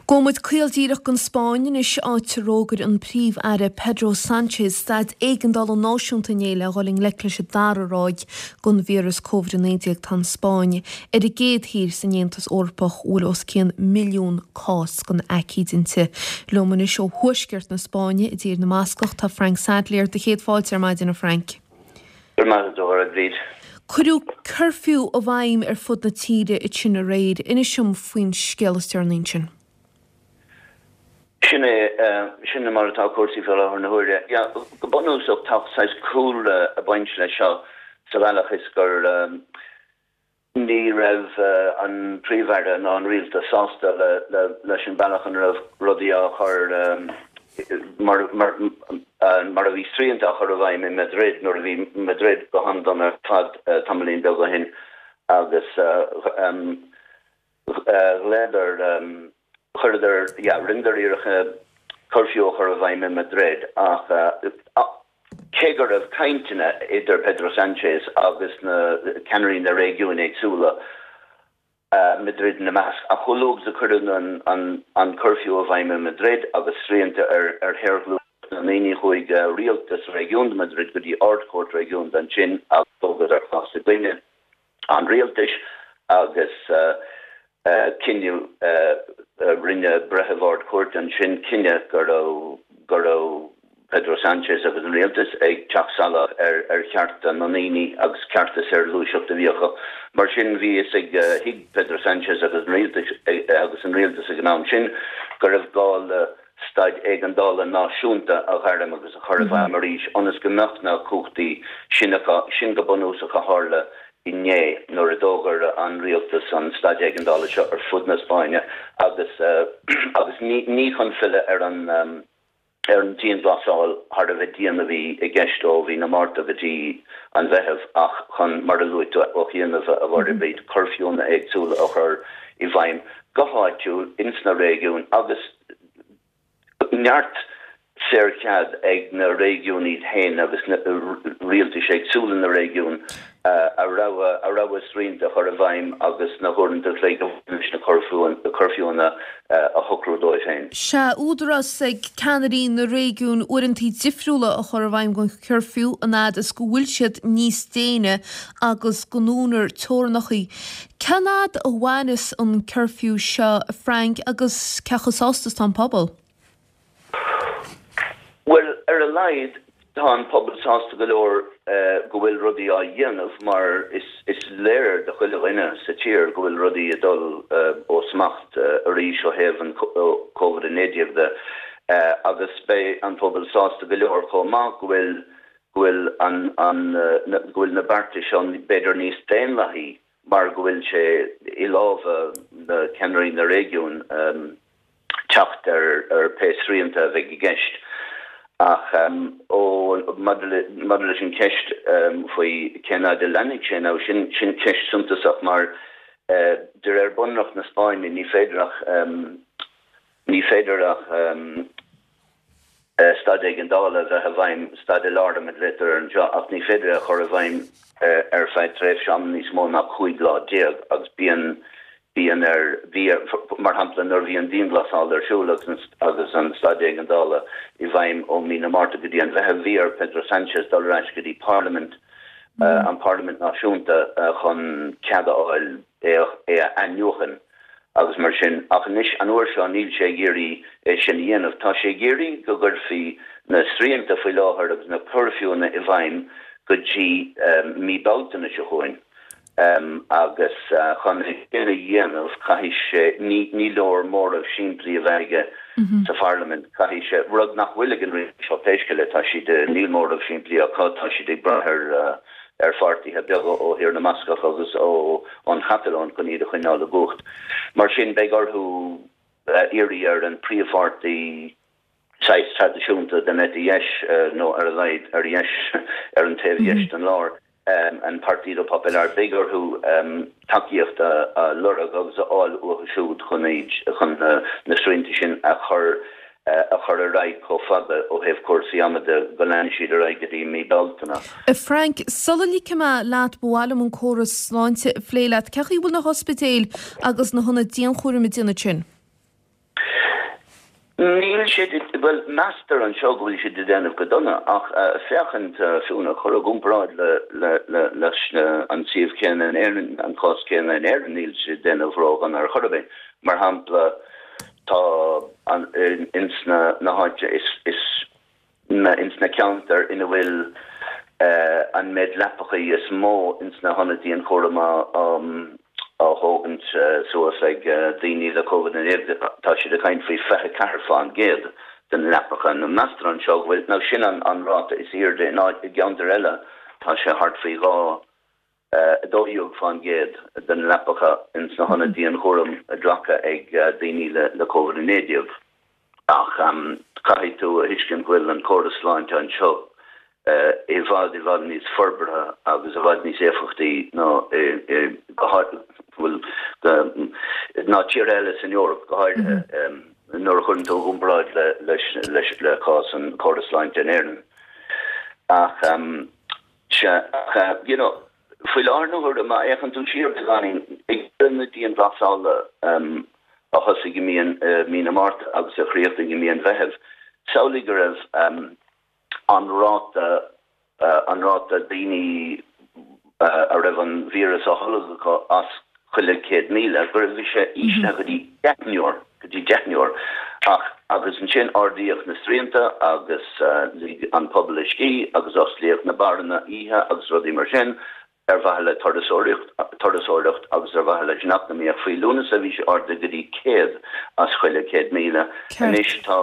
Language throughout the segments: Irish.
Gabhfaidh muid caol díreach don Spáinn anois, áit ar fhógair an Príomh-Aire Pedro Sánchez staid éigeandála náisiúnta inné le dhul i ngleic leis an dara ráig den víreas Covid-19. Tá an Spáinn ar an gcéad thír san Aontas Eorpach a bhfuil os cionn milliún cás den aicíd inti. Liom anois ó thuaisceart na Spáinne, i dTír na mBascach, tá Frank Sadlier. Do chéad fáilte ar maidin, a Frank. Go raibh maith agat, a Bhríd. Cuireadh cuirfiú i bhfeidhm ar fud na tíre ansin aréir. Inis dom faoin scéal is deireanaí ansin. Sin é, sin mar atá cúrsaí faoi láthair na huaire. Yeah, go bunúsach tá saghas cúlra ag baint leis seo sa bhealach is gur, Ní raibh an Príomh-Aire ná an Rialtas sásta leis an bealach ina raibh rudaí á chur, mar mar a bhí srianta á chur i bhfeidhm i Madrid nuair a bhí Madrid go han-dona ar fad tamaillín beag ó shin agus ghlaodar, chuireadar, yeah, rinneadar iarracht curfew a chur i bhfeidhm i Madrid ach Cé go raibh cainteanna idir Pedro Sánchez agus na ceannairí na réigiúin éagsúla, Madrid ina measc, ach chomh luath agus a cuireadh an curfew i bhfeidhm i Madrid agus srianta ar shaorghluaiseacht na ndaoine, chuaigh rialtas réigiúnda Madrid go dtí Ard-Chúirt Réigiúnda ansin agus thógadar cás i gcoinne an rialtais agus cinneadh, rinne breitheamh Ard-Chúirte ansin cinneadh go raibh go raibh Pedro Sánchez agus an rialtas ag teacht salach ar ar chearta na ndaoine agus cearta saorghluaiseachta a bhí acu. Mar sin bhí fhios ag, thuig Pedro Sánchez agus an rialtas agus an rialtas ag an am sin go raibh gá le staid éigeandála náisiúnta a ghairm agus a chur i bhfeidhm arís ionas go mbeadh na cumhachtaí sin acu. Sin go bunúsach a tharla inné nuair a d'fhógair an rialtas an staid éigeandála seo ar fud na Spáinne agus agus ní chun filleadh ar an ar an dianghlasáil thar a bheith dian a bhí i gceist ó mhí na Márta go dtí an Mheitheamh ach chun, mar a luaigh tú ó chianaibh, a Mháire Bríd, cuirfiúnna éagsúla a chur i bhfeidhm go háitiúil ins na réigiúin agus neart saorchead ag na réigiúin iad féin agus na rialtais éagsúla na réigiún a rogha a rogha srianta a chur i bhfeidhm agus na huaireanta an chloig a bhaineann leis na cuirfiúnna a shocrú dóibh féin. Sea, údarás ag ceannairí na réigiún uaireanta difriúla a chur i bhfeidhm don chuirfiú an fhad is go bhfuil siad níos déine agus go ndúnar teorainneacha. Cén fhad a mhairfeas an cuirfiú seo, a Frank, agus cé chomh sásta is atá an pobal? Bhuel, ar a laghad tá an pobal sásta go leor go bhfuil rudaí á dhéanamh mar is léir do chuile dhuine sa tír go bhfuil rudaí ag dul ó smacht arís ó thaobh an Covid-19 de agus beidh an pobal sásta go leor chomh maith go bhfuil go bhfuil an an go bhfuil na bearta seo b'fhéidir níos daonlathaí mar go bhfuil sé i lámha na ceannairí na réigiún teacht ar pé srianta a bheidh i gceist. Ach ó maidir leis an cheist faoi cén fhad a leanfaidh sé now, sin sin ceist suntasach mar de réir Bunreacht na Spáinne ní féidir ach ní féidir ach staid éigeandála a bheith i bhfeidhm, staid alarma a ghlaotar air anseo, ach ní féidir é a chur i bhfeidhm ar feadh tréimhse ama níos mó ná 15 lá agus bíonn, bíonn ar, bhí ar, mar shampla nuair a bhí an dianghlasáil ar siúl agus agus an staid éigeandála i bhfeidhm ó mí na Márta go dtí an Mheitheamh, bhí ar Pedro Sánchez dul ar ais go dtí parlaimint, an parlaimint náisiúnta chun cead a fháil é a athnuachan. agus mar sin, ach anois, an uair seo, níl sé ag iarraidh é sin a dhéanamh. Tá sé ag iarraidh go gcuirfí na srianta faoi láthair agus na cuirfiúnna i bhfeidhm go dtí mí Bealtaine seo chugainn agus chun é sin a dhéanamh, caithfidh sé, ní leor móramh simplí a bheith aige sa pharlaimint, caithfidh sé, rud nach bhfuil ag an rialtas seo pé scéal é, tá siad, níl móramh simplí acu, tá siad ag brath ar. ar pháirtithe beaga ó Thír na mBascach agus ón Chatalóin chun iad a choinneáil i gcumhacht. Mar sin, beidh orthu iarraidh ar an príomhpháirtí saghas traidisiúnta den eite dheis, nó ar a laghad ar dheis, ar an taobh dheis den lár, an Partido Popular, beidh orthu tacaíocht a lorg agus a fháil uathu siúd chun iad, chun na srianta sin a chur a chur ar aghaidh chomh fada ó thaobh cúrsaí ama de go leanfaidh siad ar aghaidh go dtí mí Bealtaine. A Frank, sula ligfidh mé leat ba mhaith liom an córas sláinte a phlé leat. Cén chaoi a bhfuil na hospidéil agus na hionaid dianchúraim ag déanamh sin? Níl siad, bhuel, meastar anseo go bhfuil siad ag déanamh go dona, ach féachaint, fiú, a chur i gcomparáid le, leis an suíomh céanna in Éirinn, an cás céanna in Éirinn, níl siad ag déanamh ródhona ar chor ar bith. Mar shampla, tá an, ins na, na háite is, is, ins na ceantair ina bhfuil an méid leapachaí is mó ins na hionaid dianchúraim á thógaint suas ag daoine le Covid-19, tá siad ag caint faoi 24% de na leapacha. Now meastar anseo go bhfuil, now sin an ráta is airde in áit, i gceantair eile tá sé thart faoi 2. 12% de na leapacha ins na hionaid dianchúraim glactha ag daoine le Covid-19. Ach caithfidh tú a thuiscint go bhfuil an córas sláinte anseo i bhfad i bhfad níos forbartha agus i bhfad níos éifeachtaí ná i bhuel ná tíortha eile san Eoraip go háirithe nuair a chuireann tú i gcomparáid leis leis le cás an córas sláinte in Éirinn. Ach. Sea, ach, you know, faoi láthair na huaire, má fhéachann tú siar beagáinín, ag deireadh na dianghlasála a thosaigh i mí an, mí na Márta agus a chríochnaigh i mí an Mheithimh, samhlaigh go raibh an ráta, an ráta daoine a raibh an víreas á tholg acu as chuile 100,000, go raibh sé íslithe go dtí deichniúr, go dtí deichniúr. Ach, agus ansin ardaíodh na srianta agus lig an pobal a scíth agus osclaíodh na beáranna oíche agus rudaí mar sin ar mhaithe le turasóireacht, turasóireacht agus ar mhaithe leis an eacnamaíocht. Faoi Lúnasa bhí sé ardaithe go dtí 100 as chuile 100,000. Anois tá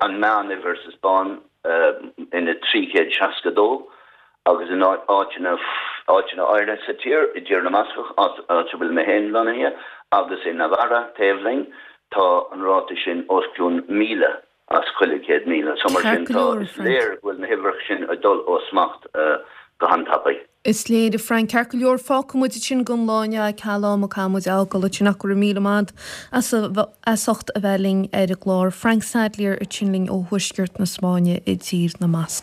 an meánuimhir sa Spáinn ina 362. agus in áiteanna áiteanna áirithe sa tír, i dTír na mBascach, áit a bhfuil mé féin lonnaithe, agus i Navarra, taobh linn, tá an ráta sin os cionn 1,000 as chuile 100,000. So mar sin, tá, is léir go bhfuil na huimhreacha sin ag dul ó smacht go han-tapaidh. Is léir, a Frank. Ceart go leor, fágfaidh muid ansin don lá inniu é, ceal ama caithfidh muid a fhágáil ansin ach go raibh míle maith agat as ucht a bheith linn ar an gclár. Frank Sadlier ansin linn ó thuaisceart na Spáinne i dTír na mBascach.